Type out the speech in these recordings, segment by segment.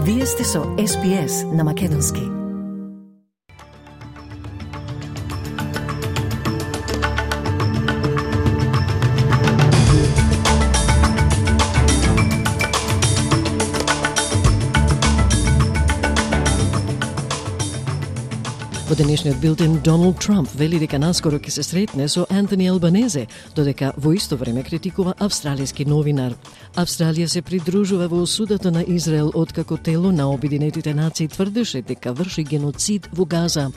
Вие сте со SPS на Македонски. Во денешниот билтен Доналд Трамп вели дека наскоро ќе се сретне со Антони Албанезе, додека во исто време критикува австралиски новинар. Австралија се придружува во осудата на Израел откако тело на Обединетите нации тврдеше дека врши геноцид во Газа.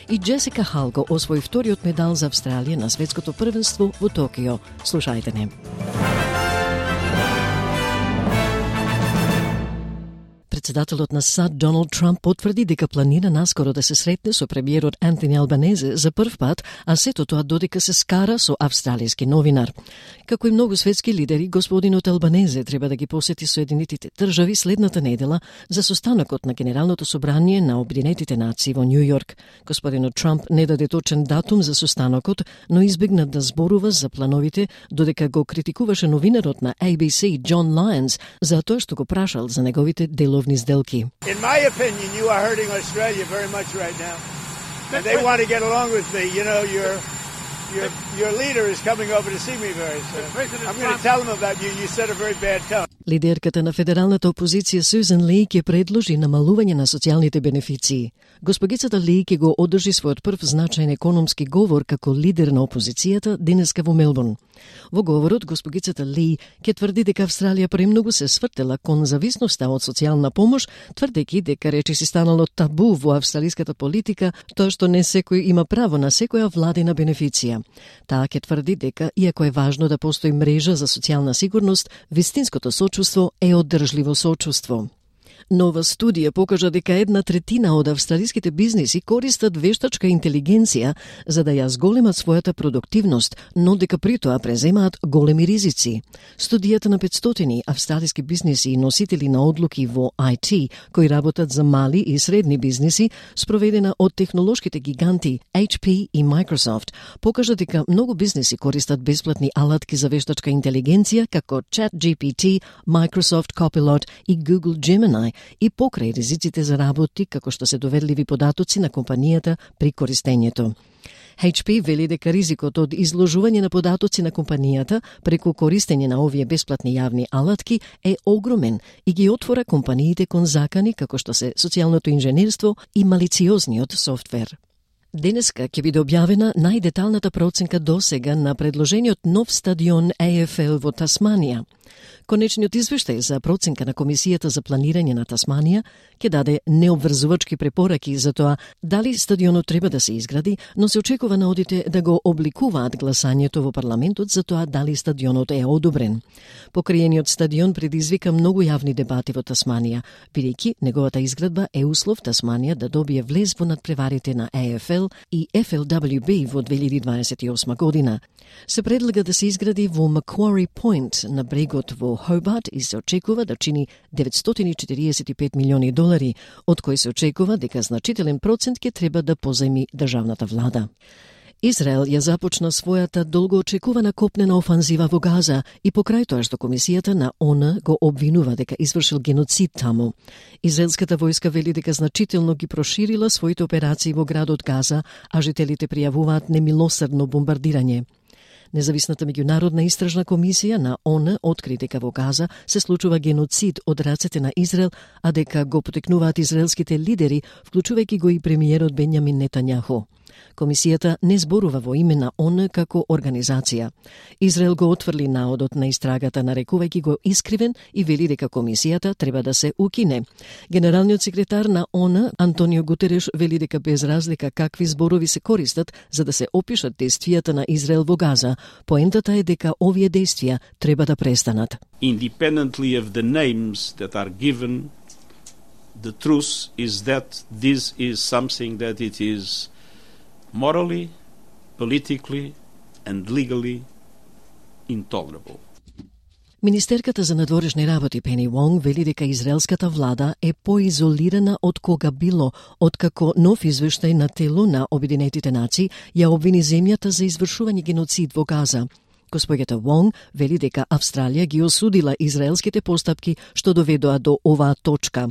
И Джесика Халго освои вториот медал за Австралија на светското првенство во Токио. Слушајте не. Председателот на САД Доналд Трамп потврди дека планира наскоро да се сретне со премиерот Антони Албанезе за прв пат, а сето тоа додека се скара со австралиски новинар. Како и многу светски лидери, господинот Албанезе треба да ги посети Соединетите држави следната недела за состанокот на Генералното собрание на Обединетите нации во Њу Јорк. Господинот Трамп не даде точен датум за состанокот, но избегна да зборува за плановите, додека го критикуваше новинарот на ABC Jon Lyons за тоа што го прашал за неговите деловни сделки. In my opinion, you are hurting Australia very much right now. And they want to get along with me. You know, your leader is coming over to see me very soon. I'm going to tell him about you. You set a very bad tone. Лидерката на федералната опозиција Сюзан Ли ќе предложи намалување на социјалните бенефиции. Госпогицата Ли ќе го одржи својот прв значаен економски говор како лидер на опозицијата денеска во Мелбурн. Во говорот, госпогицата Ли ќе тврди дека Австралија премногу се свртела кон зависноста од социјална помош, тврдејќи дека речиси станало табу во австралиската политика тоа што не секој има право на секоја владина бенефиција. Таа ќе тврди дека, иако е важно да постои мрежа за социјална сигурност, вистинското сочувство е одржливо сочувство. Нова студија покажа дека 1/3 од австралиските бизниси користат вештачка интелигенција за да ја зголемат својата продуктивност, но дека при тоа преземаат големи ризици. Студијата на 500 австралиски бизниси и носители на одлуки во IT, кои работат за мали и средни бизниси, спроведена од технолошките гиганти HP и Microsoft, покажа дека многу бизниси користат бесплатни алатки за вештачка интелигенција како ChatGPT, Microsoft Copilot и Google Gemini, и покрај ризиците за работи како што се доверливи податоци на компанијата при користењето. HP вели дека ризикот од изложување на податоци на компанијата преку користење на овие бесплатни јавни алатки е огромен и ги отвора компаниите кон закани како што се социјалното инженерство и малициозниот софтвер. Денеска ќе биде објавена најдеталната проценка досега на предложениот нов стадион AFL во Тасманија. Конечниот извештај за проценка на Комисијата за планирање на Тасманија ќе даде необврзувачки препораки за тоа дали стадионот треба да се изгради, но се очекува наодите да го обликуваат гласањето во парламентот за тоа дали стадионот е одобрен. Покриениот стадион предизвика многу јавни дебати во Тасманија, бидејќи неговата изградба е услов Тасманија да добие влез во надпреварите на AFL и FLWB во 2028 година. Се предлага да се изгради во Macquarie Point на брегот во Хобарт и се очекува да чини $945 милиони, од кои се очекува дека значителен процент ќе треба да позајми државната влада. Израел ја започна својата долгоочекувана копнена офанзива во Газа и покрај тоа што Комисијата на ООН го обвинува дека извршил геноцид таму. Израелската војска вели дека значително ги проширила своите операции во градот Газа, а жителите пријавуваат немилосрдно бомбардирање. Независната меѓународна истражна комисија на ООН откри дека во Газа се случува геноцид од рацете на Израел, а дека го потекнуваат израелските лидери, вклучувајќи го и премиерот Бенјамин Нетањаху. Комисијата не зборува во име на ООН како организација. Израел го отфрли наодот на истрагата, нарекувајќи го искривен и вели дека комисијата треба да се укине. Генералниот секретар на ООН Антонио Гутереш вели дека без разлика какви зборови се користат за да се опишат действијата на Израел во Газа, поентата е дека овие действија треба да престанат. Independently of the names that are given, the truth is that this is something that it is morally, politically and legally intolerable. Министерката за надворешни работи Пени Вонг вели дека израелската влада е поизолирана од кога било, откако нов извештај на тело на Обединетите нации ја обвини земјата за извршување геноцид во Газа. Госпоѓата Вонг вели дека Австралија ги осудила израелските постапки што доведоа до оваа точка.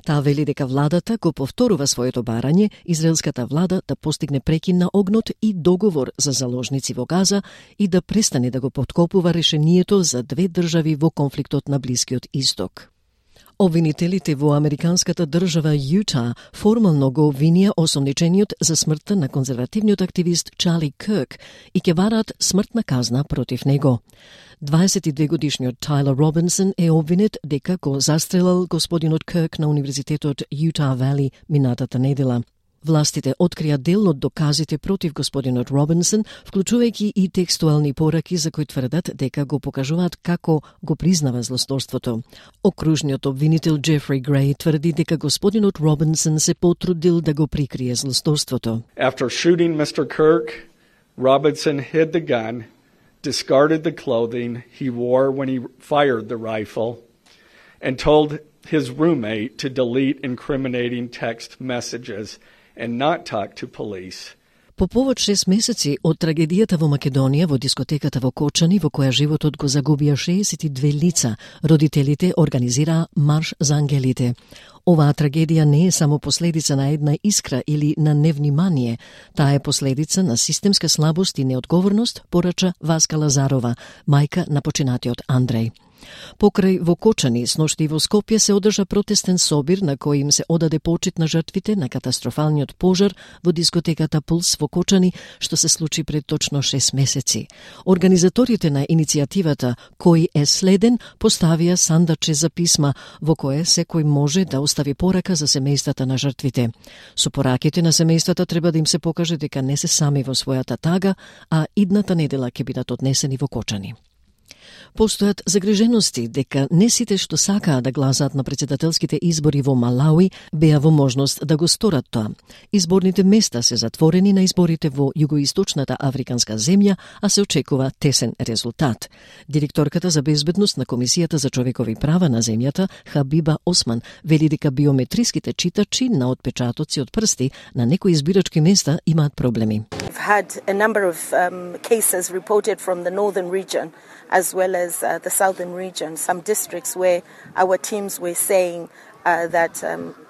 Таа вели дека владата го повторува своето барање израелската влада да постигне прекин на огнот и договор за заложници во Газа и да престане да го поткопува решението за две држави во конфликтот на Блискиот Исток. Обвинителите во американската држава Јута формално го обвинија осомничениот за смртта на конзервативниот активист Чарли Кирк и ќе бараат смртна казна против него. 22-годишниот Тайлер Робинсон е обвинет дека го застрелал господинот Кирк на Универзитетот Јута Вали минатата недела. Властите открија дел од доказите против господинот Робинсон, вклучувајќи и текстуални пораки за кои тврдат дека го покажуваат како го признава злосторството. Окружниот обвинител Джефри Греј тврди дека господинот Робинсон се потрудил да го прикрие злосторството. After shooting Mr. Kirk, Robinson hid the gun, discarded the clothing he wore when he fired the rifle, and told his roommate to delete incriminating text messages and not talk to police. По повод 6 месеци од трагедијата во Македонија во дискотеката во Кочани, во која животот го загубија 62 лица, родителите организираа марш за ангелите. Оваа трагедија не е само последица на една искра или на невнимание, таа е последица на системска слабост и неодговорност, порача Васка Лазарова, мајка на починатиот Андреј. Покрај во Кочани, сношти и во Скопје се одржа протестен собир на кој им се одаде почит на жртвите на катастрофалниот пожар во дискотеката Пулс во Кочани, што се случи пред точно 6 месеци. Организаторите на иницијативата Кој е следен поставија сандаче за писма во кое секој може да остави порака за семејствата на жртвите. Со пораките на семејствата треба да им се покаже дека не се сами во својата тага, а идната недела ќе бидат однесени во Кочани. Постојат загрижености дека не сите што сакаа да гласаат на председателските избори во Малауи беа во можност да го сторат тоа. Изборните места се затворени на изборите во југоисточната африканска земја, а се очекува тесен резултат. Директорката за безбедност на Комисијата за човекови права на земјата, Хабиба Осман, вели дека биометриските читачи на отпечатоци од прсти на некои избирачки места имаат проблеми. We've had a number of cases reported from the northern region as well as the southern region, some districts where our teams were saying that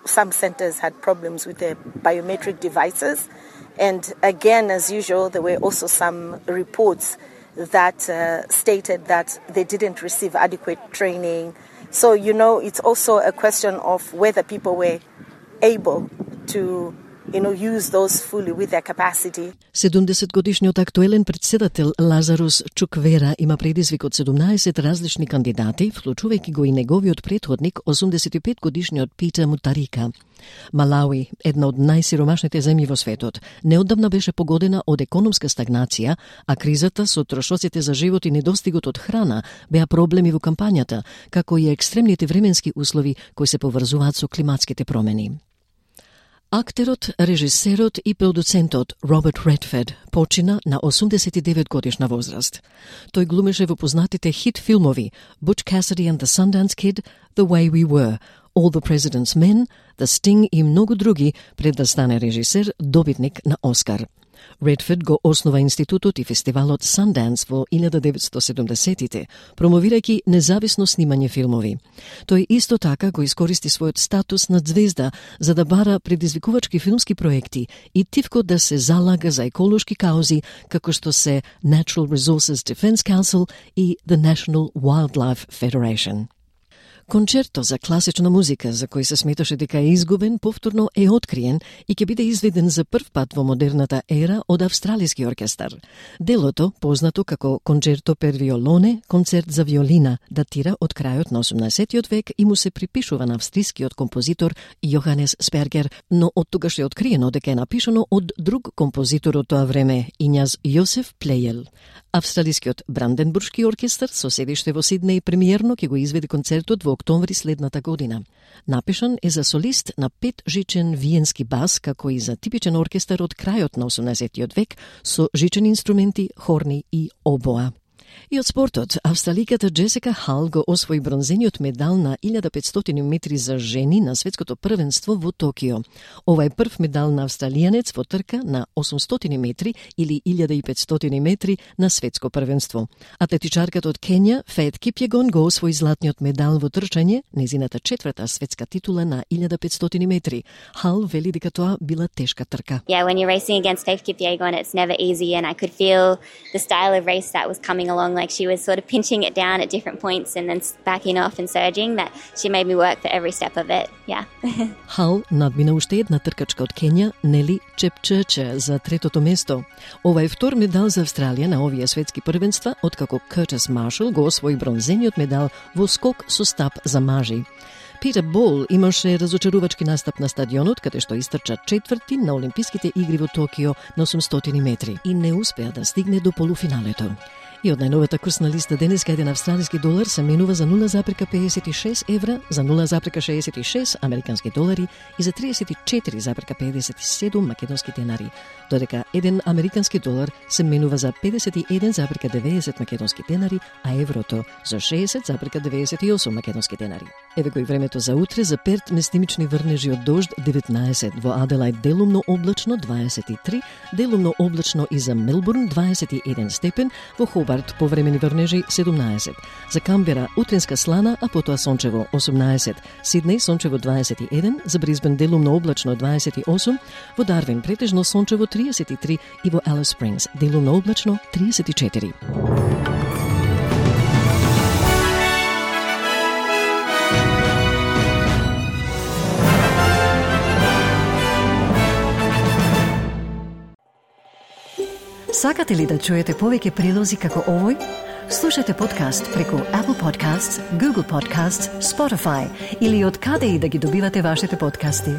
some centers had problems with their biometric devices. And again, as usual, there were also some reports that stated that they didn't receive adequate training. So, it's also a question of whether people were able to use those fully with their capacity. 70-годишниот актуелен председател Лазарус Чуквера има предизвик од 17 различни кандидати, вклучувајќи го и неговиот претходник, 85-годишниот Питер Мутарика. Малауи, една од најсиромашните земји во светот, неодамна беше погодена од економска стагнација, а кризата со трошоците за живот и недостигот од храна беа проблеми во кампањата, како и екстремните временски услови кои се поврзуваат со климатските промени. Актерот, режисерот и продуцентот Роберт Редфорд почина на 89 годишна возраст. Тој глумеше во познатите хит филмови Butch Cassidy and the Sundance Kid, The Way We Were, All the President's Men, The Sting и многу други пред да стане режисер, добитник на Оскар. Редфорд го основа институтот и фестивалот Sundance во 1970-тите, промовирајќи независно снимање филмови. Тој исто така го искористи својот статус на звезда за да бара предизвикувачки филмски проекти и тивко да се залага за еколошки каузи како што се Natural Resources Defense Council и the National Wildlife Federation. Концерто за класична музика, за кој се сметаше дека е изгубен, повторно е откриен и ќе биде изведен за прв пат во модерната ера од австралиски оркестар. Делото, познато како Концерто per violone, концерт за виолина, датира од крајот на 18 век и му се припишува на австрискиот композитор Јоханес Спергер, но од тогаш е откриено дека е напишано од друг композитор од тоа време, Ињаз Јосеф Плејел. Австралискиот Бранденбуршки оркестар со седиште во Сиднеј премиерно ќе го изведе концертот во октомври следната година. Напишан е за солист на 5-жичен виенски бас, како и за типичен оркестар од крајот на 18 век со жичени инструменти, хорни и обоа. И од спортот, австраликата Джесика Хал го освои бронзениот медал на 1500 метри за жени на светското првенство во Токио. Ова е прв медал на австралијанец во трка на 800 метри или 1500 метри на светско првенство. Атлетичарката од Кења, Фејт Кипјегон, го освои златниот медал во трчање, незината четврта светска титула на 1500 метри. Хал вели дека тоа била тешка трка. Yeah, when you're racing against Faith Kipyegon, it's never easy, and I could feel the style of race that was coming along, like she was sort of pinching it down at different points and then backing off and surging, that she made me work for every step of it, yeah. Хал надмина уште една тркачка од Кења, Нели Чепчече, за третото место. Ова е втор медал за Австралија на овие светски првенства, откако Къртис Маршал го освои бронзениот медал во скок со стап за мажи. Питер Бол имаше разочарувачки настап на стадионот, каде што истрча четврти на Олимписките игри во Токио на 800 метри и не успеа да стигне до полуфиналето. И од најновата курсна листа денеска еден австралиски долар се менува за 0,56 евра, за 0,66 американски долари и за 34,57 македонски денари, додека еден американски долар се менува за 51,90 македонски денари, а еврото за 60,98 македонски денари. Еве го и времето за утре. За Перт местимични врнежи од дожд 19, во Аделајд делумно облачно 23, делумно облачно и за Мелбурн 21 степен, во Хобарт повремени врнежи 17. За Камбера утринска слана, а потоа сончево 18. Сиднеј сончево 21, за Брисбен делумно облачно 28, во Дарвин претежно сончево 33 и во Алис Спрингс делумно облачно 34. Сакате ли да чуете повеќе прилози како овој? Слушате подкаст преку Apple Podcasts, Google Podcasts, Spotify или од каде и да ги добивате вашите подкасти.